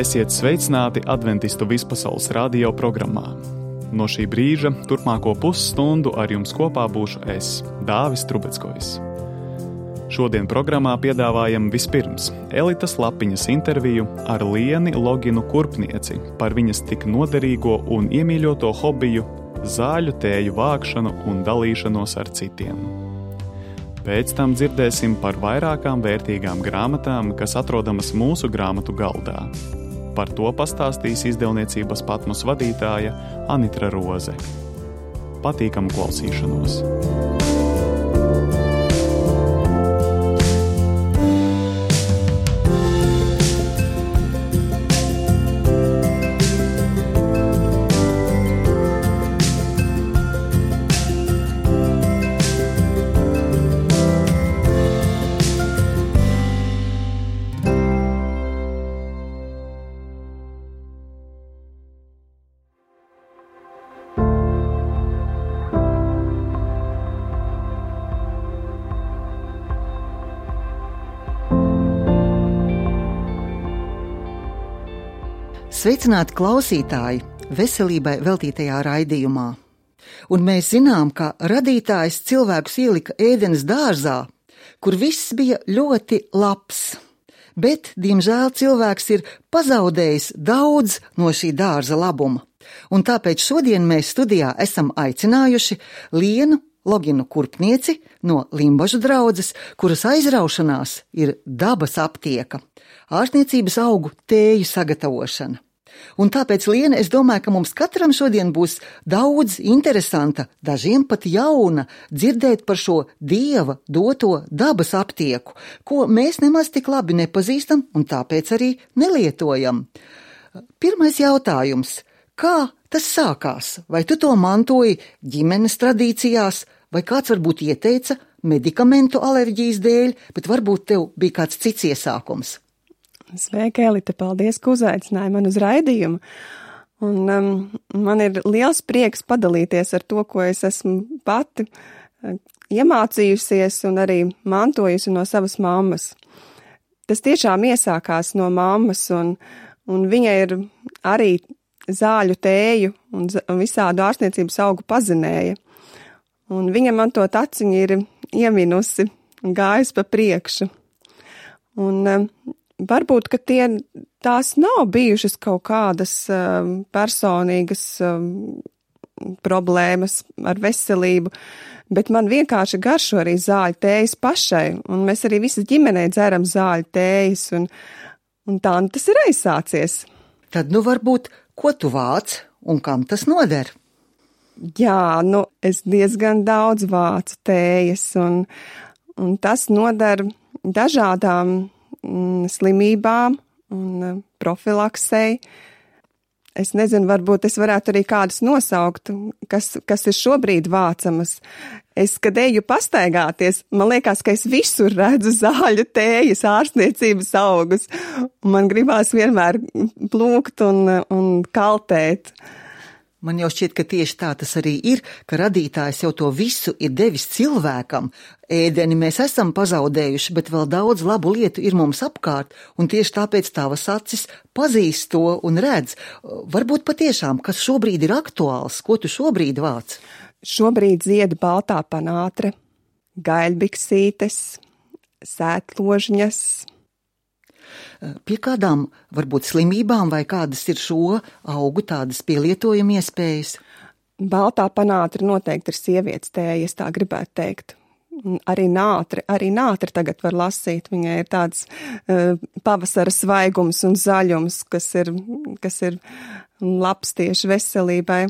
Esiet sveicināti Adventistu vispasaules radio programmā. No šī brīža turpmāko pusstundu ar jums kopā būšu es, Dāvis Trubeckojs. Šodien programmā piedāvājam vispirms Elitas Lapiņas interviju ar Lieni Loginu Kurpnieci par viņas tik noderīgo un iemīļoto hobiju zāļu tēju vākšanu un dalīšanos ar citiem. Pēc tam dzirdēsim par vairākām vērtīgām grāmatām, kas atrodamas mūsu grāmatu galdā. Par to pastāstīs izdevniecības Patmos vadītāja Anitra Roze. Patīkamu klausīšanos! Sveicināti klausītāji veselībai veltītajā raidījumā. Un mēs zinām, ka radītājs cilvēkus ielika Ēdenes dārzā, kur viss bija ļoti labs. Bet, diemžēl, cilvēks ir pazaudējis daudz no šī dārza labuma. Un tāpēc šodien mēs studijā esam aicinājuši Lienu Loginu Kurpnieci no Limbažu draudzes, kuras aizraušanās ir dabas aptieka, ārstniecības augu tēju sagatavošana. Un tāpēc, Liena, es domāju, ka mums katram šodien būs daudz interesanta, dažiem pat jauna, dzirdēt par šo Dieva doto dabas aptieku, ko mēs nemaz tik labi nepazīstam un tāpēc arī nelietojam. Pirmais jautājums. Kā tas sākās? Vai tu to mantoji ģimenes tradīcijās, vai kāds varbūt ieteica medikamentu alerģijas dēļ, bet varbūt tev bija kāds cits iesākums? Sveika, Elita, paldies, ka uzaicināji man uz raidījumu. Un man ir liels prieks padalīties ar to, ko es esmu pati iemācījusies un arī mantojusi no savas mammas. Tas tiešām iesākās no mammas, un viņa ir arī zāļu tēju un visādu ārstniecības augu pazinēja. Un viņa man to taciņu ir ieminusi un gājusi pa priekšu. Un varbūt, ka tās nav bijušas kaut kādas personīgas problēmas ar veselību, bet man vienkārši garšo arī zāļu tējas pašai, un mēs arī visi ģimenē dzeram zāļu tējas, un tā tas ir aizsācies. Tad varbūt, ko tu vāc un kam tas noder? Jā, es diezgan daudz vācu tējas, un tas noder dažādām slimībām un profilaksei. Es nezinu, varbūt es varētu arī kādus nosaukt, kas ir šobrīd vācamas. Es, kad eju pastaigāties, man liekas, ka es visur redzu zāļu tējas, ārstniecības augus. Man gribās vienmēr plūkt un kaltēt. Man jau šķiet, ka tieši tā tas arī ir, ka radītājs jau to visu ir devis cilvēkam. Ēdeni mēs esam pazaudējuši, bet vēl daudz labu lietu ir mums apkārt, un tieši tāpēc tavas acis pazīst to un redz. Varbūt patiešām, kas šobrīd ir aktuāls, ko tu šobrīd vāc? Šobrīd zied baltā panātre, gaļbiksītes, sētložņas. Pie kādām varbūt slimībām vai kādas ir šo augu tādas pielietojuma iespējas? Baltā panātre noteikti ir sievietes tēja, es tā gribētu teikt. Arī nātri tagad var lasīt. Viņai ir tāds pavasara svaigums un zaļums, kas ir labs tieši veselībai.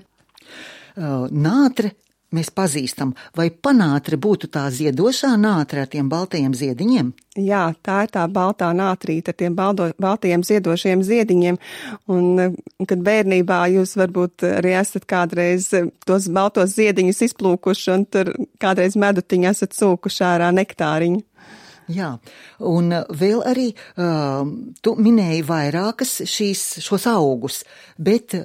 Nātre mēs pazīstam, vai panātre būtu tā ziedošā nātre ar tiem baltajiem ziediņiem? Jā, tā ir tā baltā nātrīte ar tiem baltajiem ziedošiem ziediņiem, un kad bērnībā jūs varbūt arī esat kādreiz tos baltos ziediņus izplūkuši, un tur kādreiz medutiņā esat sūkuši ārā nektāriņu. Jā, un vēl arī tu minēji vairākas šos augus, bet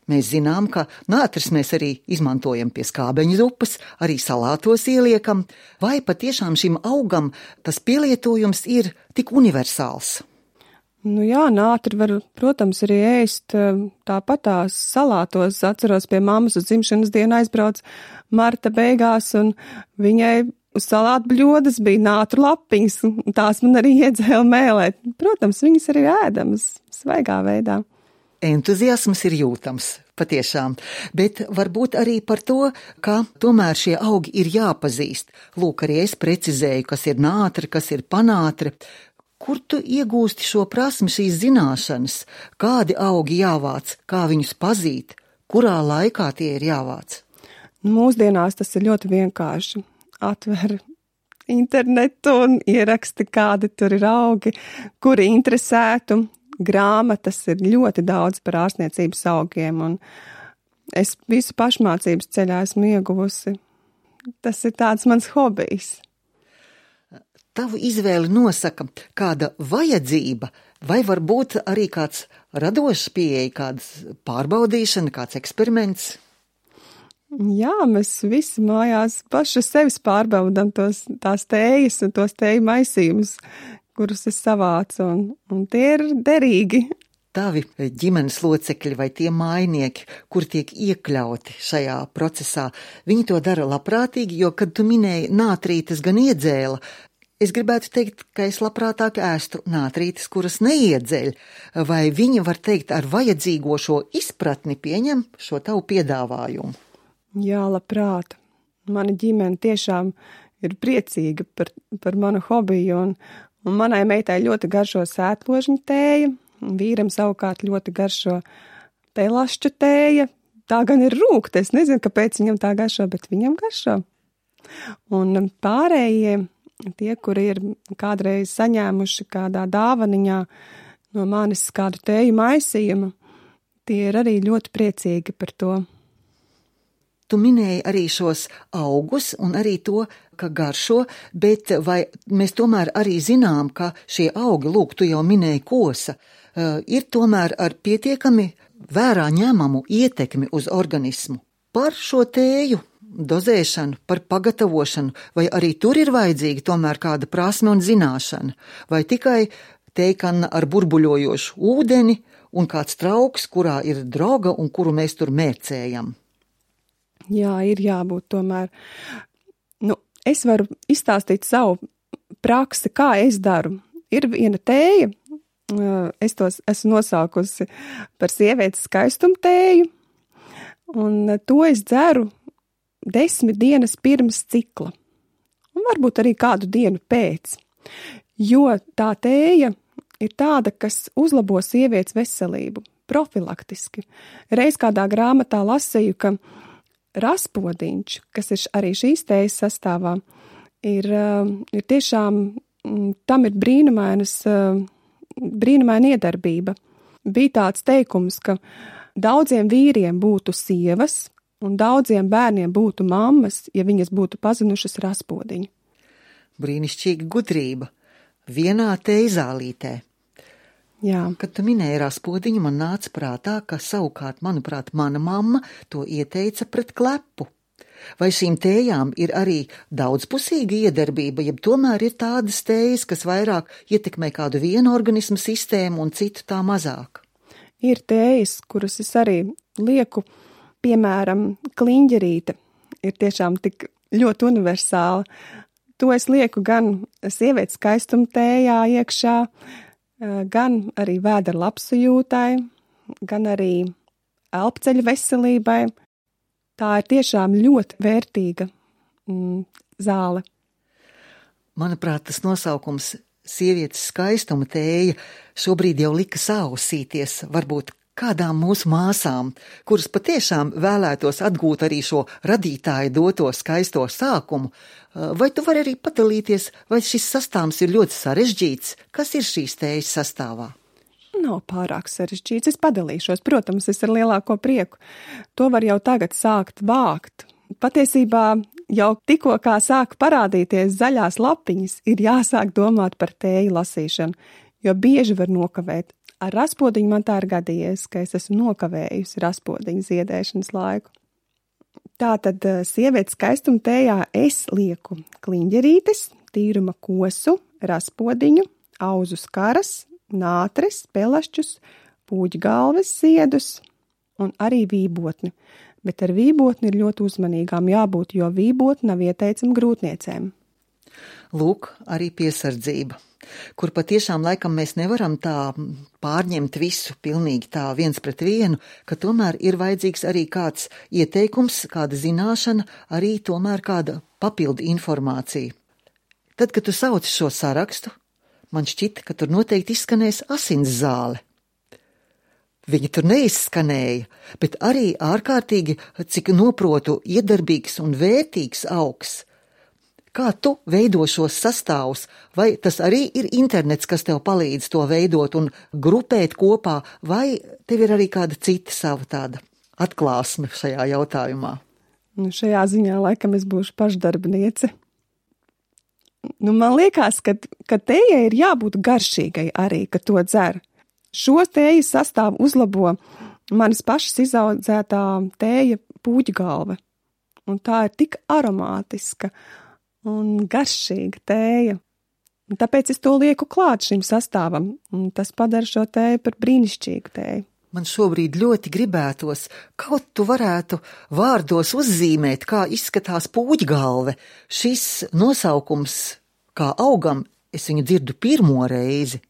mēs zinām, ka nātris mēs arī izmantojam pie skābeņu zupas, arī salātos ieliekam, vai patiešām šim augam tas pielietojums ir tik universāls? Nu jā, nātri var, protams, arī ēst tāpat tās salātos. Atceros, pie mammas uz dzimšanas dienu aizbrauc marta beigās, un viņai uz salātu bļodas bija nātru lapiņas, un tās man arī iedzēla mēlēt. Protams, viņas arī ēdamas svaigā veidā. Entuziasms ir jūtams, patiešām, bet varbūt arī par to, ka tomēr šie augi ir jāpazīst. Lūk, arī es precizēju, kas ir nātre, kas ir panātre. Kur tu iegūsti šo prasmi, šīs zināšanas? Kādi augi jāvāc, kā viņus pazīt, kurā laikā tie ir jāvāc? Mūsdienās tas ir ļoti vienkārši. Atver internetu un ieraksti, kādi tur ir augi, kuri interesētu. Grāmatas ir ļoti daudz par ārstniecības augiem, un es visu pašmācības ceļā esmu ieguvusi. Tas ir tāds mans hobijs. Tavu izvēli nosaka kāda vajadzība, vai varbūt arī kāds radošs pieeja, kāds pārbaudīšana, kāds eksperiments? Jā, mēs visi mājās paši sevis pārbaudam tās tējas un tos tēju maisījumus, kurus es savācu, un tie ir derīgi. Tavi ģimenes locekļi vai tie mājnieki, kur tiek iekļauti šajā procesā, viņi to dara labprātīgi, jo, kad tu minēji nātrītes gan iedzēla, es gribētu teikt, ka es labprātāk ēstu nātrītes, kuras neiedzeļ, vai viņi, var teikt, ar vajadzīgo šo izpratni pieņem šo tavu piedāvājumu? Jā, labprāt. Mana ģimene tiešām ir priecīga par manu hobiju, un manai meitai ļoti garšo sētložņu tēja, vīram savukārt ļoti garšo pelašķu tēja. Tā gan ir rūkta, es nezinu, kāpēc viņam tā garšo, bet viņam garšo. Un pārējie, tie, kuri ir kādreiz saņēmuši kādā dāvaniņā no manis kādu tēju maisījumu, tie ir arī ļoti priecīgi par to. Tu minēji arī šos augus un arī to, ka garšo, bet vai mēs tomēr arī zinām, ka šie augi, lūk, tu jau minēji kosa, ir tomēr ar pietiekami vērā ņemamu ietekmi uz organismu par šo tēju dozēšanu, par pagatavošanu, vai arī tur ir vajadzīga tomēr kāda prasme un zināšana, vai tikai tējkanna ar burbuļojošu ūdeni un kāds trauks, kurā ir droga un kuru mēs tur mērcējam? Jā, ir jābūt tomēr. Es varu izstāstīt savu praksi, kā es daru. Ir viena tēja, es tos esmu nosaukusi par sievietes skaistumu tēju, un to es dzeru 10 dienas pirms cikla, un varbūt arī kādu dienu pēc, jo tā tēja ir tāda, kas uzlabo sievietes veselību, profilaktiski. Reiz kādā grāmatā lasīju, ka raspodiņš, kas ir arī šīs tējas sastāvā, ir tiešām, tam ir brīnumaina iedarbība. Bija tāds teikums, ka daudziem vīriem būtu sievas, un daudziem bērniem būtu mammas, ja viņas būtu pazinušas raspodiņu. Brīnišķīga gudrība. Vienā teizālītē. Jā. Kad tu minēji raspodiņu, man nāca prātā, ka savukārt, manuprāt, mana mamma to ieteica pret klepu. Vai šīm tējām ir arī daudzpusīga iedarbība, jeb tomēr ir tādas tējas, kas vairāk ietekmē kādu vienu organismu sistēmu un citu tā mazāk? Ir tējas, kuras es arī lieku, piemēram, kliņģerīte ir tiešām tik ļoti universāla. To es lieku gan sievietes skaistuma tējā iekšā, gan arī vēdera labsajūtai, gan arī elpceļa veselībai. Tā ir tiešām ļoti vērtīga zāle. Manuprāt, tas nosaukums sievietes skaistuma tēja šobrīd jau likas ausīties, varbūt kādām mūsu māsām, kuras patiešām vēlētos atgūt arī šo radītāju doto skaisto sākumu. Vai tu vari arī padalīties, vai šis sastāvs ir ļoti sarežģīts? Kas ir šīs tējas sastāvā? Nav pārāk sarežģīts, es padalīšos, protams, es ar lielāko prieku. To var jau tagad sākt vākt. Patiesībā jau tikko kā sāk parādīties zaļās lapiņas, ir jāsāk domāt par tēju lasīšanu, jo bieži var nokavēt. Ar raspodiņu man tā ir gadījies, ka es esmu nokavējusi raspodiņu ziedēšanas laiku. Tātad sievietes skaistuma tējā es lieku kliņģerītes, tīruma kosu, raspodiņu, auzu skaras, nātris, pelašķus, pūģgalves ziedus un arī vībotni. Bet ar vībotni ir ļoti uzmanīgām jābūt, jo vībotni nav ieteicama grūtniecēm. Lūk, arī piesardzība, kur patiešām laikam mēs nevaram tā pārņemt visu pilnīgi tā viens pret vienu, ka tomēr ir vajadzīgs arī kāds ieteikums, kāda zināšana, arī tomēr kāda papildu informācija. Tad, kad tu sauci šo sarakstu, man šķita, ka tur noteikti izskanēs asins zāle. Viņa tur neizskanēja, bet arī ārkārtīgi, cik noprotu, iedarbīgs un vērtīgs augs. Kā tu veido šos sastāvus, vai tas arī ir internets, kas tev palīdz to veidot un grupēt kopā, vai tev ir arī kāda cita sava tāda atklāsme šajā jautājumā? Šajā ziņā laikam es būšu pašdarbniece. Man liekas, ka tējai ir jābūt garšīgai arī, ka to dzer. Šo tējas sastāvu uzlabo manas pašas izaudzētā tēja pūģgalve. Un tā ir tik aromātiska un garšīga tēja. Un tāpēc es to lieku klāt šim sastāvam. Un tas padara šo tēju par brīnišķīgu tēju. Man šobrīd ļoti gribētos, kaut tu varētu vārdos uzzīmēt, kā izskatās pūģgalve. Šis nosaukums, kā augam, es viņu dzirdu pirmo reizi.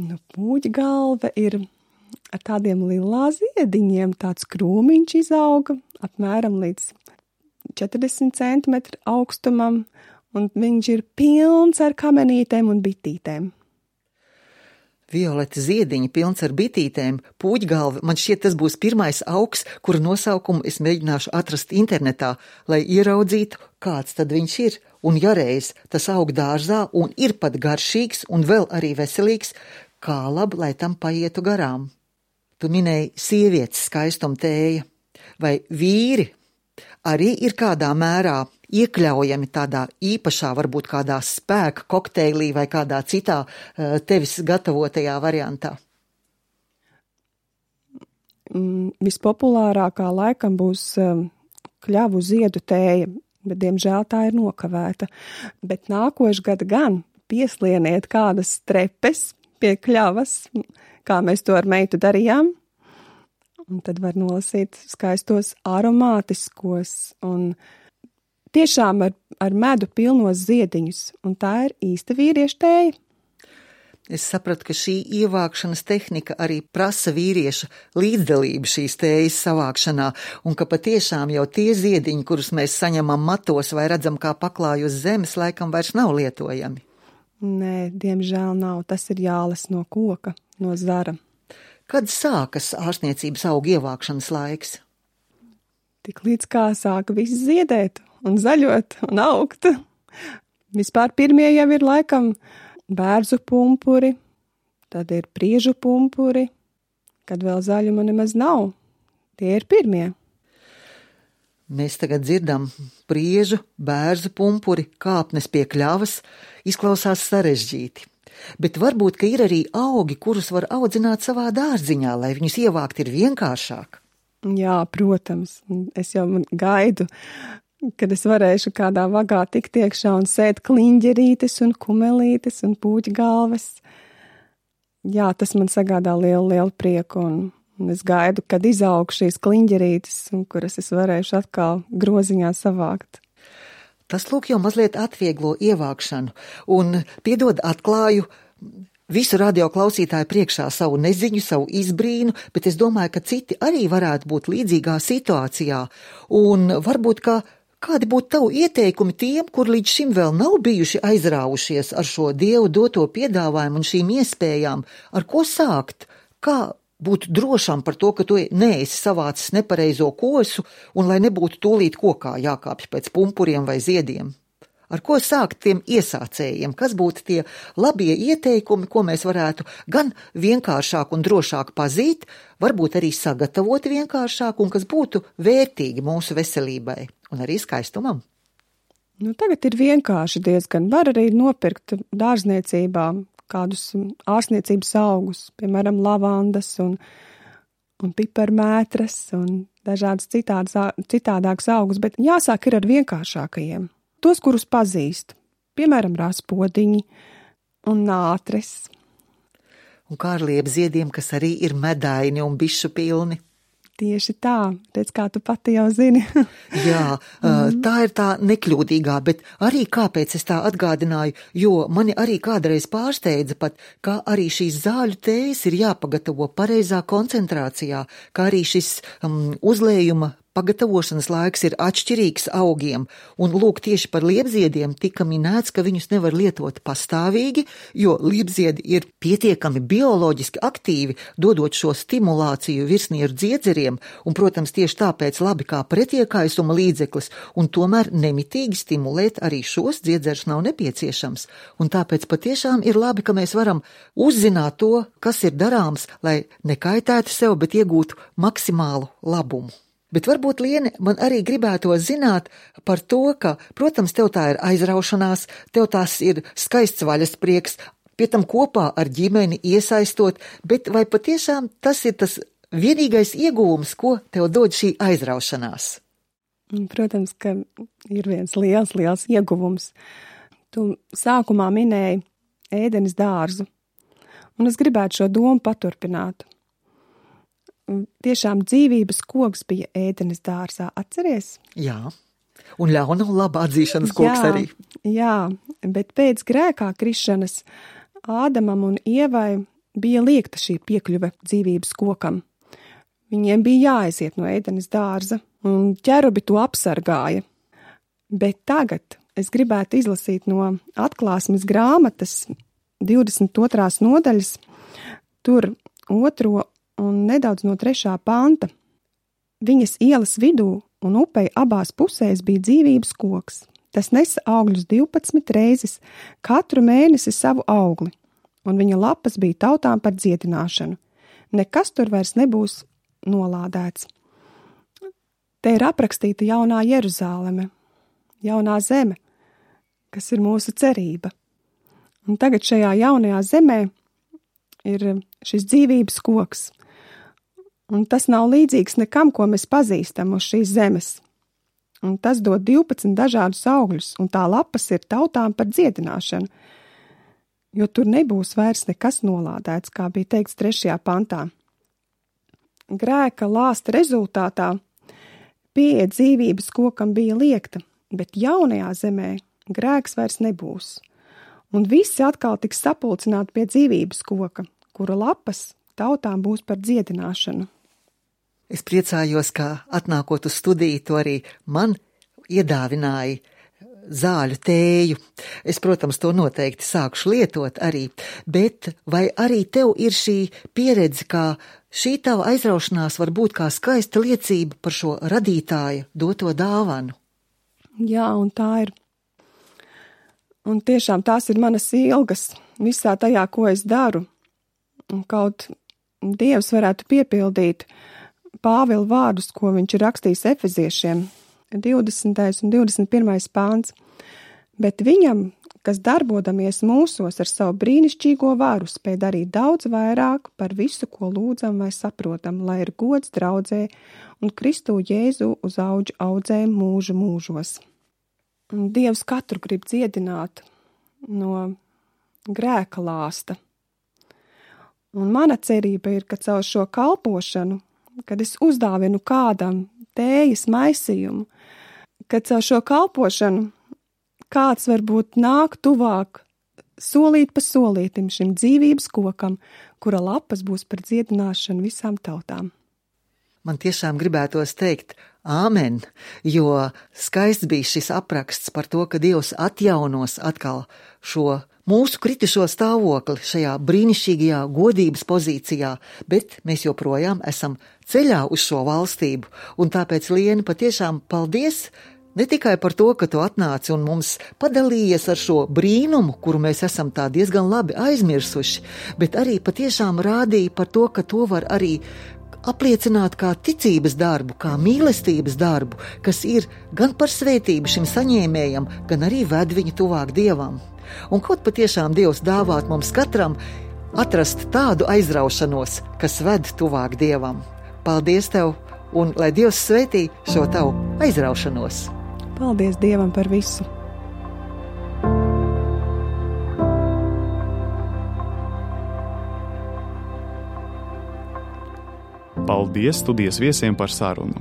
Pūģgalve ir ar tādiem lilā ziediņiem, tāds krūmiņš izauga apmēram līdz 40 centimetru augstumam, un viņš ir pilns ar kamenītēm un bitītēm. Violeta ziediņi pilns ar bitītēm, pūģgalve, man šķiet tas būs pirmais augs, kura nosaukumu es mēģināšu atrast internetā, lai ieraudzītu, kāds tad viņš ir. Un ja reiz tas aug dārzā un ir pat garšīgs un vēl arī veselīgs, kā labi, lai tam paietu garām. Tu minēji sievietes skaistuma tēja, vai vīri arī ir kādā mērā iekļaujami tādā īpašā, varbūt kādā spēka kokteilī vai kādā citā tevis gatavotajā variantā? Vispopulārākā laikam būs kļavu ziedu tēja, bet diemžēl tā ir nokavēta. Bet nākošgad gan pieslieniet kādas trepes pie kļavas, kā mēs to ar meitu darījām, un tad var nolasīt skaistos aromātiskos un tiešām ar medu pilnos ziediņus, un tā ir īsta vīrieša tēja. Es sapratu, ka šī ievākšanas tehnika arī prasa vīrieša līdzdalību šīs tējas savākšanā, un ka patiešām jau tie ziediņi, kurus mēs saņemam matos vai redzam kā paklāju uz zemes, laikam vairs nav lietojami. Nē, diemžēl nav. Tas ir jālas no koka, no zara. Kad sākas ārstniecības augu ievākšanas laiks? Tik līdz kā sāka viss ziedēt un zaļot un augt. Vispār pirmie jau ir laikam bērzu pumpuri, tad ir priežu pumpuri, kad vēl zaļuma nemaz nav. Tie ir pirmie. Mēs tagad dzirdam priežu, bērzu pumpuri, kāpnes pie kļavas, izklausās sarežģīti. Bet varbūt, ka ir arī augi, kurus var audzināt savā dārziņā, lai viņus ievākt ir vienkāršāk. Jā, protams. Es jau gaidu, kad es varēšu kādā vagā tikt iekšā un sēt kliņģerītes un kumelītes un pūķgalves. Jā, tas man sagādā lielu prieku un es gaidu, kad izaug šīs kliņģerītes, kuras es varēšu atkal groziņā savākt. Tas lūk jau mazliet atvieglo ievākšanu un piedod atklāju visu radioklausītāju priekšā savu neziņu, savu izbrīnu, bet es domāju, ka citi arī varētu būt līdzīgā situācijā un varbūt, ka kādi būtu tavu ieteikumi tiem, kur līdz šim vēl nav bijuši aizrāvušies ar šo Dievu doto piedāvājumu un šīm iespējām, ar ko sākt, kā būt drošam par to, ka tu neesi savācis nepareizo kosu un lai nebūtu tūlīt kokā jākāpj pēc pumpuriem vai ziediem. Ar ko sākt tiem iesācējiem? Kas būtu tie labie ieteikumi, ko mēs varētu gan vienkāršāk un drošāk pazīt, varbūt arī sagatavot vienkāršāk un kas būtu vērtīgi mūsu veselībai un arī skaistumam? Tagad ir vienkārši diezgan. Var arī nopirkt dārzniecībā kādus ārstniecības augus, piemēram, lavandas un piparmētras un dažādas citādākas augus, bet jāsāk ir ar vienkāršākajiem. Tos, kurus pazīst, piemēram, raspodiņi un nātris. Un kā ar liepziediem, kas arī ir medaini un bišu pilni. Tieši tā, redz, kā tu pati jau zini. Jā, tā ir tā nekļūdīgā, bet arī kāpēc es tā atgādināju, jo mani arī kādreiz pārsteidza pat, kā arī šīs zāļu tējas ir jāpagatavo pareizā koncentrācijā, kā arī šis uzlējuma pagatavošanas laiks ir atšķirīgs augiem, un lūk, tieši par liepziediem tika minēts, ka viņus nevar lietot pastāvīgi, jo liepziedi ir pietiekami bioloģiski aktīvi, dodot šo stimulāciju virsnieru dziedzeriem, un, protams, tieši tāpēc labi kā pretiekaisuma līdzeklis, un tomēr nemitīgi stimulēt arī šos dziedzerus nav nepieciešams, un tāpēc patiešām ir labi, ka mēs varam uzzināt to, kas ir darāms, lai nekaitētu sev, bet iegūtu maksimālu labumu. Bet varbūt, Liene, man arī gribētos zināt par to, ka, protams, tev tā ir aizraušanās, tev tās ir skaists vaļasprieks, pie tam kopā ar ģimeni iesaistot, bet vai patiešām tas ir tas vienīgais ieguvums, ko tev dod šī aizraušanās? Protams, ka ir viens liels ieguvums. Tu sākumā minēji ēdenes dārzu, un es gribētu šo domu paturpināt. Tiešām dzīvības koks bija ēdenes dārzā, atceries? Jā, un ļauna un laba atzīšanas koks arī. Jā, bet pēc grēkā krišanas Ādamam un Ievai bija liekta šī piekļuve dzīvības kokam. Viņiem bija jāaiziet no ēdenes dārza, un ķerubi to apsargāja. Bet tagad es gribētu izlasīt no Atklāsmes grāmatas 22. nodaļas, tur 2. un nedaudz no 3. panta. Viņas ielas vidū un upei abās pusēs bija dzīvības koks. Tas nesa augļus 12 reizes, katru mēnesi savu augli, un viņa lapas bija tautām par dziedināšanu. Nekas tur vairs nebūs nolādēts. Te ir aprakstīta jaunā Jeruzāleme, jaunā zeme, kas ir mūsu cerība. Un tagad šajā jaunajā zemē ir šis dzīvības koks. Un tas nav līdzīgs nekam, ko mēs pazīstam uz šīs zemes. Un tas dod 12 dažādus augļus, un tā lapas ir tautām par dziedināšanu, jo tur nebūs vairs nekas nolādēts, kā bija teikts 3. pantā. Grēka lāsta rezultātā pieeja dzīvības kokam bija liekta, bet jaunajā zemē grēks vairs nebūs. Un visi atkal tiks sapulcināti pie dzīvības koka, kura lapas tautām būs par dziedināšanu. Es priecājos, ka atnākot uz studiju, to arī man iedāvināja zāļu tēju. Es, protams, to noteikti sākšu lietot arī, bet vai arī tev ir šī pieredze, kā šī tava aizraušanās var būt kā skaista liecība par šo radītāja doto dāvanu? Jā, un tā ir. Un tiešām tās ir manas ilgas visā tajā, ko es daru. Un kaut Dievs varētu piepildīt Pāvila vārdus, ko viņš ir rakstījis Efeziešiem, 20. un 21. pāns. Bet viņam, kas darbodamies mūsos ar savu brīnišķīgo varu, spēj darīt daudz vairāk par visu, ko lūdzam vai saprotam, lai ir gods draudzē un Kristu Jēzu uz auģu audzēm mūžu mūžos. Un Dievs katru grib dziedināt no grēka lāsta. Un mana cerība ir, ka caur šo kalpošanu, kad es uzdāvinu kādam tējas maisījumu, ka caur šo kalpošanu kāds varbūt nāk tuvāk solīt pa solītim šim dzīvības kokam, kura lapas būs par dziedināšanu visām tautām. Man tiešām gribētos teikt āmen, jo skaists bija šis apraksts par to, ka Dievs atjaunos atkal šo mūsu kritušo stāvokli šajā brīnišķīgajā godības pozīcijā, bet mēs joprojām esam ceļā uz šo valstību, un tāpēc, Liene, patiešām paldies ne tikai par to, ka tu atnāci un mums padalījies ar šo brīnumu, kuru mēs esam tā diezgan labi aizmirsuši, bet arī patiešām rādīja par to, ka to var arī apliecināt kā ticības darbu, kā mīlestības darbu, kas ir gan par svētību šim saņēmējam, gan arī ved viņu tuvāk Dievam. Un kaut patiešām Dievs dāvāt mums katram atrast tādu aizraušanos, kas ved tuvāk Dievam. Paldies tev, un lai Dievs svētī šo tavu aizraušanos. Paldies Dievam par visu! Paldies studijas viesiem par sarunu.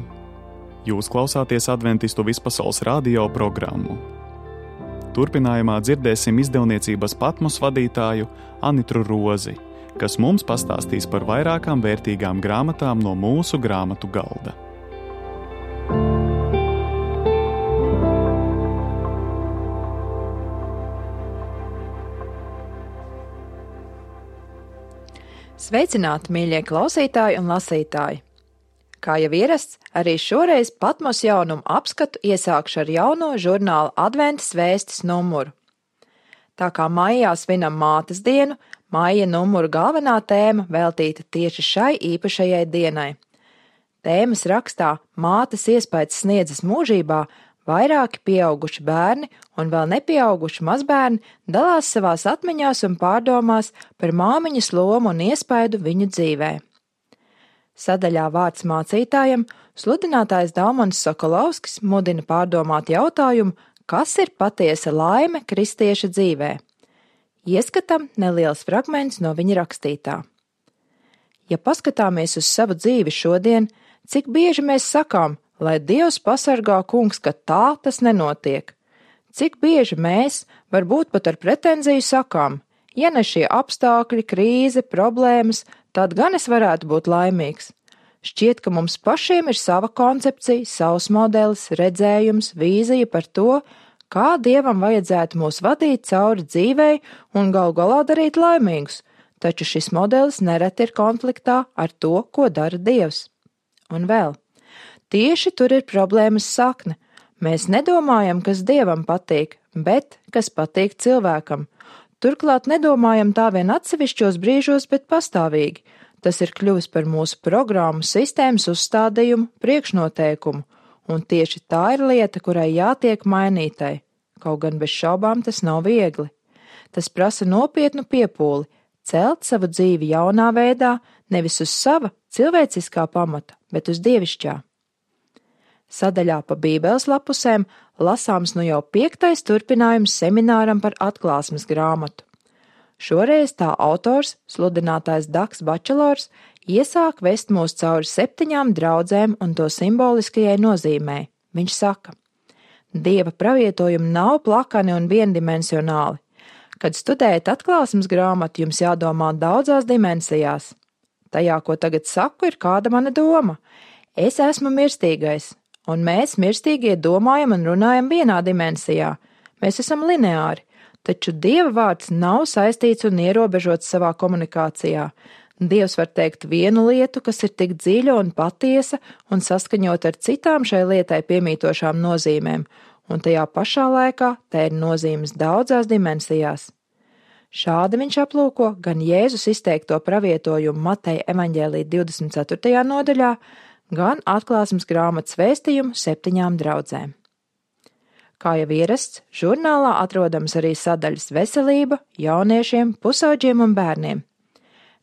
Jūs klausāties Adventistu vispasaules radio programmu. Turpinājumā dzirdēsim izdevniecības Patmos vadītāju Anitru Rozi, kas mums pastāstīs par vairākām vērtīgām grāmatām no mūsu grāmatu galda. Sveicināti, mīļie klausītāji un lasītāji! Kā jau ierasts, arī šoreiz Patmos jaunumu apskatu iesākšu ar jauno žurnāla Adventas vēstis numuru. Tā kā maijā svinam mātes dienu, maija numura galvenā tēma veltīta tieši šai īpašajai dienai. Tēmas rakstā Mātes iespaids sniedzas mūžībā vairāki pieauguši bērni un vēl nepieauguši mazbērni dalās savās atmiņās un pārdomās par māmiņas lomu un iespaidu viņu dzīvē. Sadaļā Vārds mācītājam sludinātājs Daumans Sokolovskis mudina pārdomāt jautājumu, kas ir patiesa laime kristieša dzīvē. Ieskatam neliels fragments no viņa rakstītā. Ja paskatāmies uz savu dzīvi šodien, cik bieži mēs sakām, lai Dievs pasargā, kungs, ka tā tas nenotiek. Cik bieži mēs, varbūt pat ar pretenziju sakām, ja ne šie apstākļi, krīze, problēmas, tad gan es varētu būt laimīgs. Šķiet, ka mums pašiem ir sava koncepcija, savs modelis, redzējums, vīzija par to, kā Dievam vajadzētu mūs vadīt cauri dzīvei un galu galā darīt laimīgus, taču šis modelis nereti ir konfliktā ar to, ko dara Dievs. Un vēl. Tieši tur ir problēmas sakne. Mēs nedomājam, kas Dievam patīk, bet kas patīk cilvēkam. Turklāt nedomājam tā vien atsevišķos brīžos, bet pastāvīgi. Tas ir kļuvis par mūsu programmu sistēmas uzstādījumu, priekšnoteikumu, un tieši tā ir lieta, kurai jātiek mainītai. Kaut gan bez šaubām tas nav viegli. Tas prasa nopietnu piepūli, celt savu dzīvi jaunā veidā, nevis uz sava cilvēciskā pamata, bet uz dievišķā. Sadaļā pa Bībeles lapusēm lasāms nu jau 5. turpinājums semināram par atklāsmes grāmatu. Šoreiz tā autors, sludinātājs Daks Bačelors, iesāk vest mūs cauri 7 draudzēm un to simboliskajai nozīmei. Viņš saka: Dieva pravietojumi nav plakani un viendimensionāli. Kad studējat atklāsmes grāmatu, jums jādomā daudzās dimensijās. Tajā, ko tagad saku, ir kāda mana doma. Es esmu mirstīgais. Un mēs, mirstīgie, domājam un runājam vienā dimensijā. Mēs esam lineāri, taču Dieva vārds nav saistīts un ierobežots savā komunikācijā. Dievs var teikt vienu lietu, kas ir tik dziļa un patiesa un saskaņot ar citām šai lietai piemītošām nozīmēm, un tajā pašā laikā te ir nozīmes daudzās dimensijās. Šādi viņš aplūko gan Jēzus izteikto pravietojumu Mateja evaņģēlī 24. nodaļā, gan atklāsmes grāmatas vēstījumu 7 draudzēm. Kā jau ierasts, žurnālā atrodams arī sadaļas veselība, jauniešiem, pusauģiem un bērniem.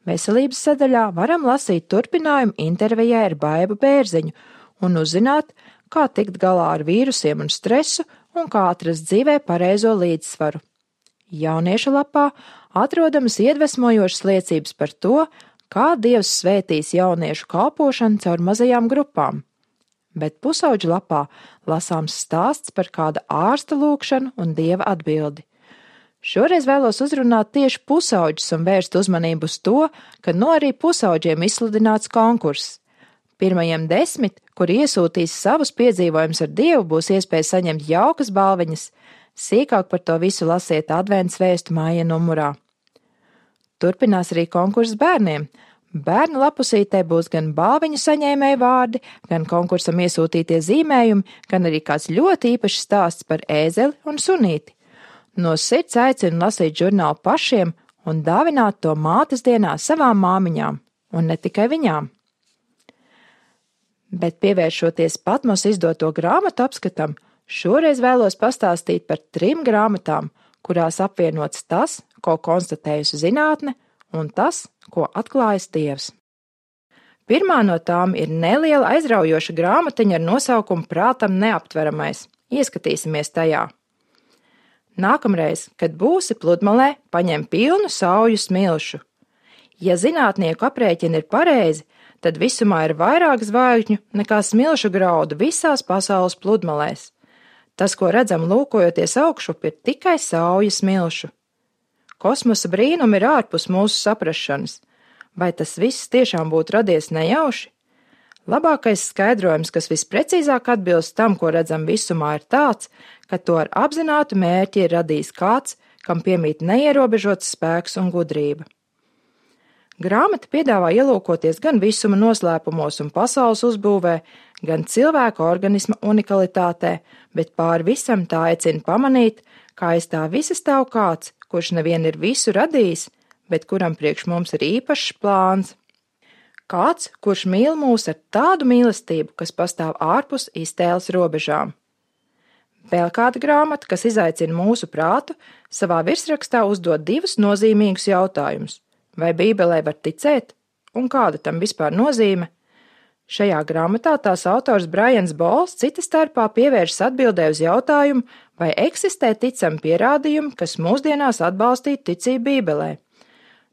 Veselības sadaļā varam lasīt turpinājumu intervijai ar Baibu Bērziņu un uzzināt, kā tikt galā ar vīrusiem un stresu un kā atrast dzīvē pareizo līdzsvaru. Jauniešu lapā atrodamas iedvesmojošas liecības par to, kā Dievs svētīs jauniešu kalpošanu caur mazajām grupām. Bet pusauģu lapā lasāms stāsts par kāda ārsta lūgšanu un Dieva atbildi. Šoreiz vēlos uzrunāt tieši pusauģus un vērst uzmanību uz to, ka arī pusauģiem izsludināts konkurss. Pirmajiem 10, kuri iesūtīs savus piedzīvojumus ar Dievu, būs iespēja saņemt jaukas balviņas. Sīkāk par to visu lasiet Adventas vēstu māja numurā. Turpinās arī konkurss bērniem. Bērnu lapusītē būs gan balviņu saņēmēju vārdi, gan konkursam iesūtītie zīmējumi, gan arī kāds ļoti īpašs stāsts par ēzeli un sunīti. No sirds aicinu lasīt žurnālu pašiem un dāvināt to mātes dienā savām māmiņām, un ne tikai viņām. Bet pievēršoties Patmos izdoto grāmatu apskatam, šoreiz vēlos pastāstīt par 3 grāmatām, kurās apvienots tas, ko konstatējusi zinātne, un tas, ko atklājas Dievs. Pirmā no tām ir neliela aizraujoša grāmatiņa ar nosaukumu Prātam neaptveramais. Ieskatīsimies tajā. Nākamreiz, kad būsi pludmalē, paņem pilnu sauju smilšu. Ja zinātnieku aprēķini ir pareizi, tad visumā ir vairāk zvaigžņu nekā smilšu graudu visās pasaules pludmalēs. Tas, ko redzam lūkojoties augšup, ir tikai sauja smilšu. Kosmosa brīnumi ir ārpus mūsu saprašanas. Vai tas viss tiešām būtu radies nejauši? Labākais skaidrojums, kas visprecīzāk atbilst tam, ko redzam visumā, ir tāds, ka to ar apzinātu mērķi ir radījis kāds, kam piemīt neierobežots spēks un gudrība. Grāmata piedāvā ielūkoties gan visuma noslēpumos un pasaules uzbūvē, gan cilvēka organisma unikalitātē, bet pāri visam tā aicina pamanīt, kā aiz tā visa stāv kāds, kurš nevien ir visu radījis, bet kuram priekš mums ir īpašs plāns. Kāds, kurš mīl mūs ar tādu mīlestību, kas pastāv ārpus iztēles robežām. Vēl kāda grāmata, kas izaicina mūsu prātu, savā virsrakstā uzdod divus nozīmīgus jautājumus. Vai Bībelē var ticēt? Un kāda tam vispār nozīme? Šajā grāmatā tās autors Brians Bols cita starpā pievēršas atbildē uz jautājumu, vai eksistē ticami pierādījumi, kas mūsdienās atbalstītu ticību Bībelē.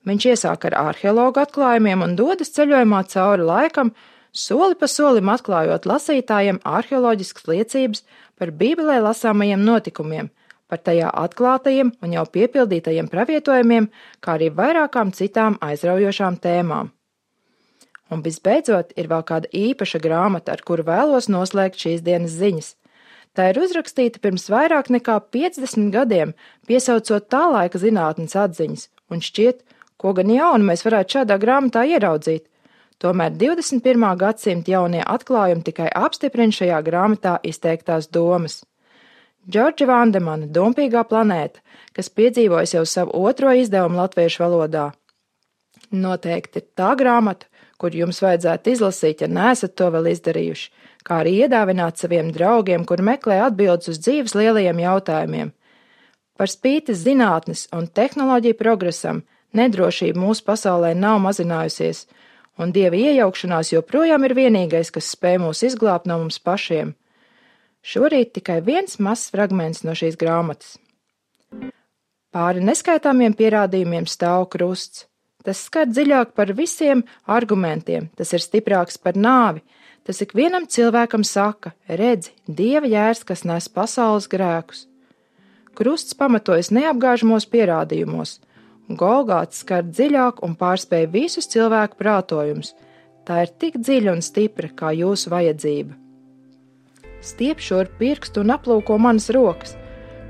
Viņš iesāk ar arheologu atklājumiem un dodas ceļojumā cauri laikam, soli pa solim atklājot lasītājiem arheoloģiskas liecības par Bībelē lasāmajiem notikumiem, par tajā atklātajiem un jau piepildītajiem pravietojumiem, kā arī vairākām citām aizraujošām tēmām. Un visbeidzot ir vēl kāda īpaša grāmata, ar kuru vēlos noslēgt šīs dienas ziņas. Tā ir uzrakstīta pirms vairāk nekā 50 gadiem, piesaucot tā laika zinātnes atziņas, un šķiet, ko gan jaunu mēs varētu šādā grāmatā ieraudzīt. Tomēr 21. gadsimta jaunie atklājumi tikai apstiprina šajā grāmatā izteiktās domas. Džordža Vandemana Dumpīgā planēta, kas piedzīvojas jau savu otro izdevumu latviešu valodā. Noteikti ir tā grāmata, kur jums vajadzētu izlasīt, ja neesat to vēl izdarījuši, kā arī iedāvināt saviem draugiem, kur meklē atbildes uz dzīves lielajiem jautājumiem. Par spīti zinātnes un tehnoloģiju progresam, nedrošība mūsu pasaulē nav mazinājusies, un Dieva iejaukšanās joprojām ir vienīgais, kas spēj mūs izglābt no mums pašiem. Šorīt tikai viens mazs fragments no šīs grāmatas. Pāri neskaitāmiem pierādījumiem stāv krusts. Tas skar dziļāk par visiem argumentiem, tas ir stiprāks par nāvi, tas ikvienam cilvēkam saka, redzi, Dieva jērs, kas nes pasaules grēkus. Krusts pamatojas neapgāžamos pierādījumos, un Golgāts skar dziļāk un pārspēj visus cilvēku prātojumus. Tā ir tik dziļa un stipra kā jūsu vajadzība. Stiep šur pirkstu un aplūko manas rokas.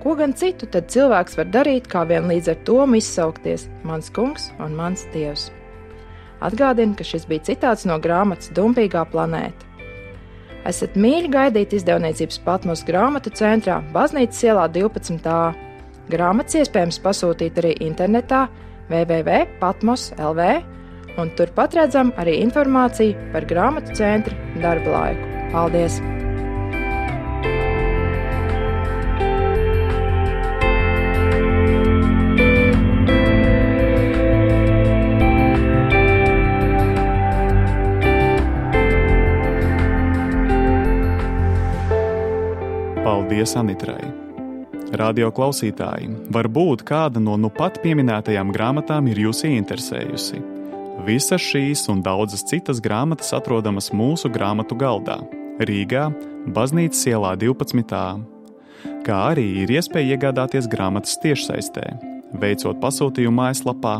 Ko gan citu tad cilvēks var darīt, kā vien līdz ar to izsaukties, mans kungs un mans dievs. Atgādinu, ka šis bija citāts no grāmatas Dumpīgā planēta. Esat mīļi gaidīti izdevniecības Patmos grāmatu centrā, Baznīcas ielā 12a. Grāmatas iespējams pasūtīt arī internetā www.patmos.lv, un turpat redzam arī informāciju par grāmatu centra darba laiku. Paldies! Paldies Anitrai! Radio klausītāji, varbūt kāda no nu pat pieminētajām grāmatām ir jūs ieinteresējusi. Visas šīs un daudzas citas grāmatas atrodamas mūsu grāmatu galdā, Rīgā, Baznīcas ielā 12a. Kā arī ir iespēja iegādāties grāmatas tiešsaistē, veicot pasūtījumu mājaslapā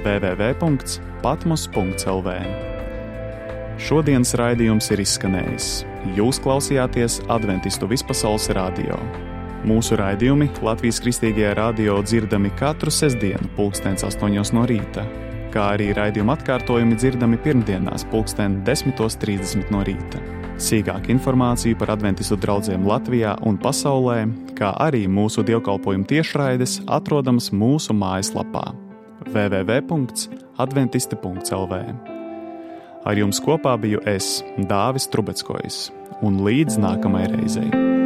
www.patmos.lv. Šodienas raidījums ir izskanējis. Jūs klausījāties Adventistu vispasaules radio. Mūsu raidījumi Latvijas Kristīgajā radio dzirdami katru sestdienu 8:00 no rīta, kā arī raidījuma atkārtojumi dzirdami pirmdienās 10:30 no rīta. Sīkāku informāciju par Adventistu draudzēm Latvijā un pasaulē, kā arī mūsu dievkalpojumu tiešraides atrodamas mūsu mājaslapā www.adventisti.lv. Ar jums kopā biju es, Dāvis Trubeckojs, un līdz nākamajai reizei.